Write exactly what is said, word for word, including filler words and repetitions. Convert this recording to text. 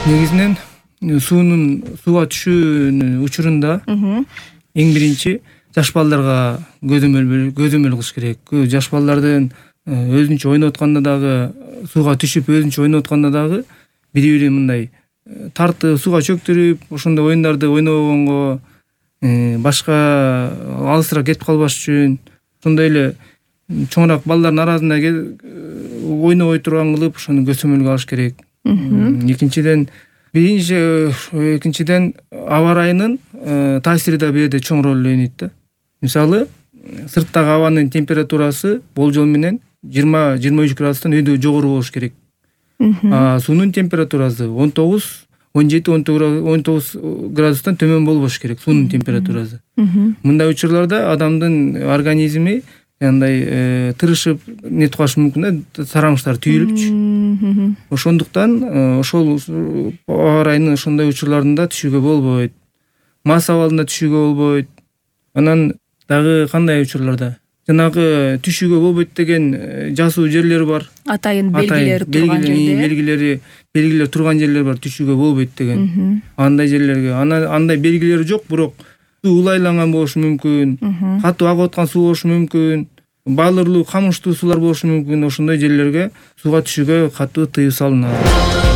Негизинен суунун сууга түшүүнүн учурунда эң биринчи жаш балдарга көзөмөл көзөмөл кылыш керек. Жаш балдардын өзүнчө ойноп атканда дагы, сууга түшүп өзүнчө ойноп атканда дагы бири-бири мындай тартып, сууга чөктүрүп, ошондой оюндарды ойнобогонго, башка алысыраак кетип калбаш үчүн, ошондой эле чоңураак балдардын арасында ойнобой турган кылып, ошону көзөмөлгө алыш керек. Экинчиден, биринчи экинчиден аба ырайынын таасири да бул жерде чоң роль ойнойт да. Мисалы, сырттагы абанын температурасы болжол менен жыйырма жыйырма үч градустан өйдө жогору болуш керек. А суунун температурасы он тогуз он жети он тогуз градустан төмөн болбош керек суунун температурасы. Мындай учурларда адамдын организми андай тырышып нетип калышы мүмкүн да, сараңыштар түйүлүпчү. Ошондуктан ошол аба ырайынын ошондой учурларында түшүүгө болбойт. Мас абалында түшүүгө болбойт. Анан дагы кандай учурларда? Жанагы түшүүгө болбойт деген жасуу жерлер бар. Атайын белгилери турган жерде. Белгилери, белгилер турган жерлер бар, түшүүгө болбойт деген. Андай жерлерге, андай белгилери жок, бирок суу улайланган болушу мүмкүн, катуу агып аткан суу болушу мүмкүн, балырлуу, камыштуу суулар болушу мүмкүн. Ошондой жерлерге сууга түшүүгө катуу тыюу салынат.